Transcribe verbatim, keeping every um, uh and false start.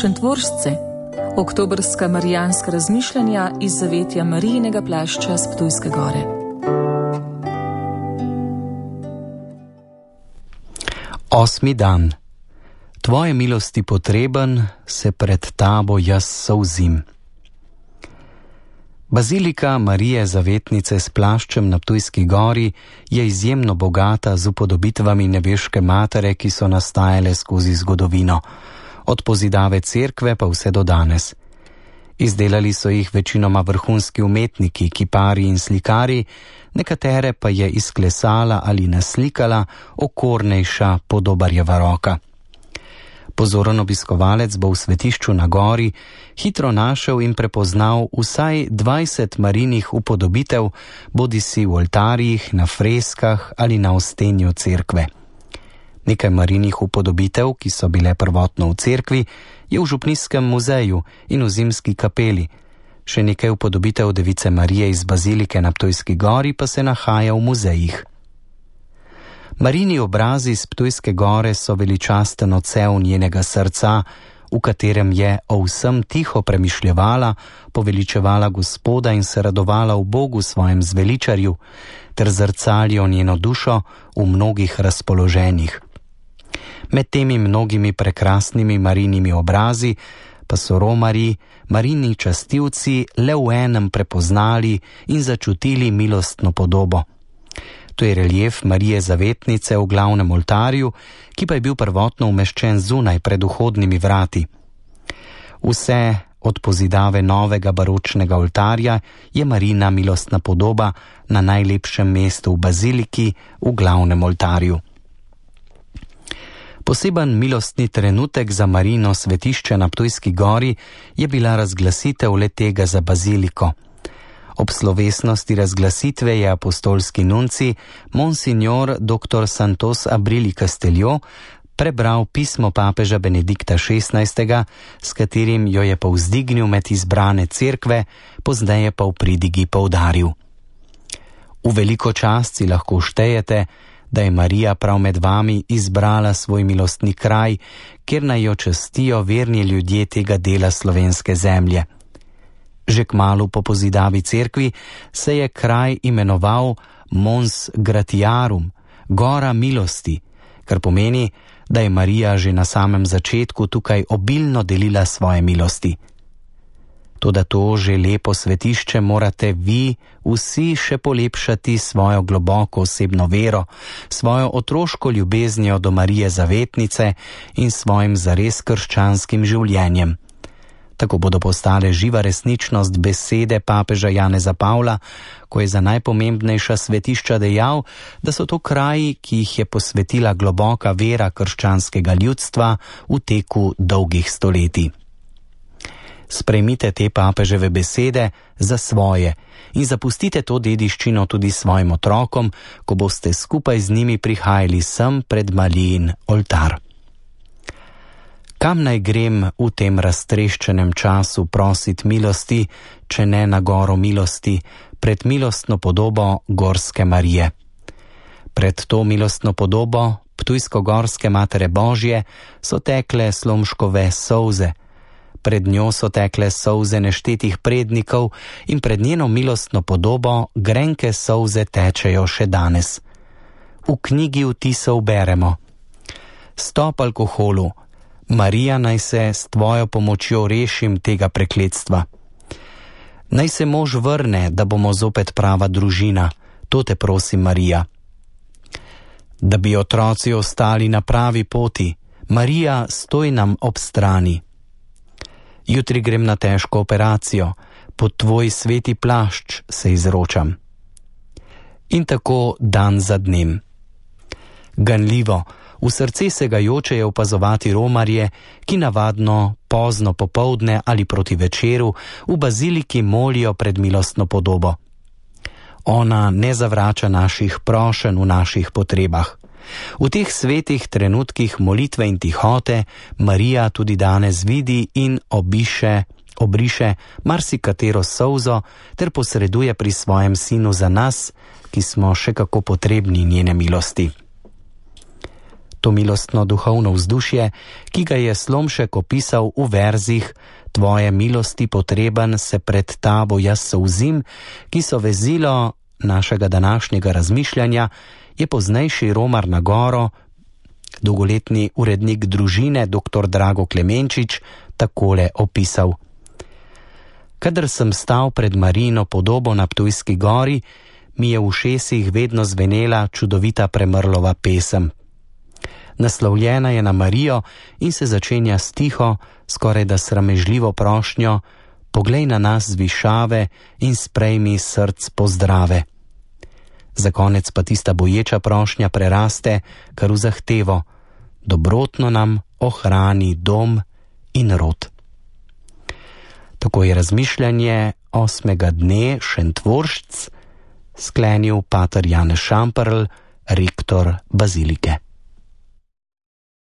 Šentvoržce, oktobrska marijanska razmišljanja iz zavetja Marijinega plašča s Ptujske gore. Osmi dan. Tvoje milosti potreben, se pred tabo jaz solzim. Bazilika Marije Zavetnice s plaščem na Ptujski gori je izjemno bogata z upodobitvami nebeške matere, ki so nastajale skozi zgodovino, od pozidave cerkve pa vse do danes. Izdelali so jih večinoma vrhunski umetniki, kipari in slikari, nekatere pa je izklesala ali naslikala okornejša Podobarjeva roka. Pozoren obiskovalec bo v svetišču na gori hitro našel in prepoznal vsaj dvajset marinih upodobitev, bodisi v oltarjih, na freskah ali na ostenju cerkve. Nekaj marinih upodobitev, ki so bile prvotno v cerkvi, je v Župnijskem muzeju in v Zimski kapeli. Še nekaj upodobitev Device Marije iz bazilike na Ptujski gori pa se nahaja v muzejih. Marini obrazi z Ptujske gore so veličasten odsev njenega srca, v katerem je o vsem tiho premišljevala, poveličevala Gospoda in se radovala v Bogu svojem zveličarju, ter zrcalijo njeno dušo v mnogih razpoloženjih. Med temi mnogimi prekrasnimi marinimi obrazi pa so romarji, marini častilci le v enem prepoznali in začutili milostno podobo. To je relief Marije Zavetnice v glavnem oltarju, ki pa je bil prvotno umeščen zunaj pred vhodnimi vrati. Vse od pozidave novega baročnega oltarja je Marina milostna podoba na najlepšem mestu v baziliki v glavnem oltarju. Poseben milostni trenutek za Marino svetišče na Ptujski gori je bila razglasitev le-tega za baziliko. Ob slovesnosti razglasitve je apostolski nunci Monsignor doktor Santos Abrili Castelio prebral pismo papeža Benedikta šestnajstega, s katerim jo je povzdignil med izbrane cerkve, pozneje pa v pridigi poudaril: V veliko čast si lahko štejete, da je Marija prav med vami izbrala svoj milostni kraj, kjer naj jo častijo verni ljudje tega dela slovenske zemlje. Že kmalu po pozidavi cerkvi se je kraj imenoval Mons Gratiarum, Gora milosti, kar pomeni, da je Marija že na samem začetku tukaj obilno delila svoje milosti. Toda to že lepo svetišče morate vi vsi še polepšati svojo globoko osebno vero, svojo otroško ljubeznijo do Marije Zavetnice in svojim zares krščanskim življenjem. Tako bodo postale živa resničnost besede papeža Janeza Pavla, ko je za najpomembnejša svetišča dejal, da so to kraji, ki jih je posvetila globoka vera krščanskega ljudstva v teku dolgih stoletij. Sprejmite te papeževe besede za svoje in zapustite to dediščino tudi svojim otrokom, ko boste skupaj z njimi prihajali sem pred Marijin oltar. Kam naj grem v tem raztreščenem času prosit milosti, če ne na goro milosti, pred milostno podobo Gorske Marije? Pred to milostno podobo Ptujsko-gorske Matere Božje so tekle Slomškove solze, pred njo so tekle solze neštetih prednikov in pred njeno milostno podobo grenke solze tečejo še danes. V knjigi vtisov beremo: Stop alkoholu, Marija, naj se s tvojo pomočjo rešim tega prekletstva. Naj se mož vrne, da bomo zopet prava družina, to te prosim, Marija. Da bi otroci ostali na pravi poti, Marija, stoj nam ob strani. Jutri grem na težko operacijo, pod tvoj sveti plašč se izročam. In tako dan za dnem. Ganljivo, v srce segajoče je opazovati romarje, ki navadno pozno popoldne ali proti večeru v baziliki molijo pred milostno podobo. Ona ne zavrača naših prošenj v naših potrebah. V teh svetih trenutkih molitve in tihote Marija tudi danes vidi in obiše, obriše marsikatero solzo ter posreduje pri svojem sinu za nas, ki smo še kako potrebni njene milosti. To milostno duhovno vzdušje, ki ga je Slomšek opisal v verzih Tvoje milosti potreben se pred tabo jaz solzim, ki so vezilo našega današnjega razmišljanja, je poznejši Romar na Goro, dolgoletni urednik Družine dr. Drago Klemenčič, takole opisal. Kadar sem stal pred Marijino podobo na Ptujski gori, mi je v ušesih vedno zvenela čudovita Premrlova pesem. Naslovljena je na Marijo in se začenja s tiho, skoraj da sramežljivo prošnjo: poglej na nas z višave in sprejmi src pozdrave. Za konec pa tista boječa prošnja preraste kar v zahtevo: dobrotno nam ohrani dom in rod. Tako je razmišljanje osmega dne Šentvoršc sklenil pater Janez Šamperl, rektor bazilike.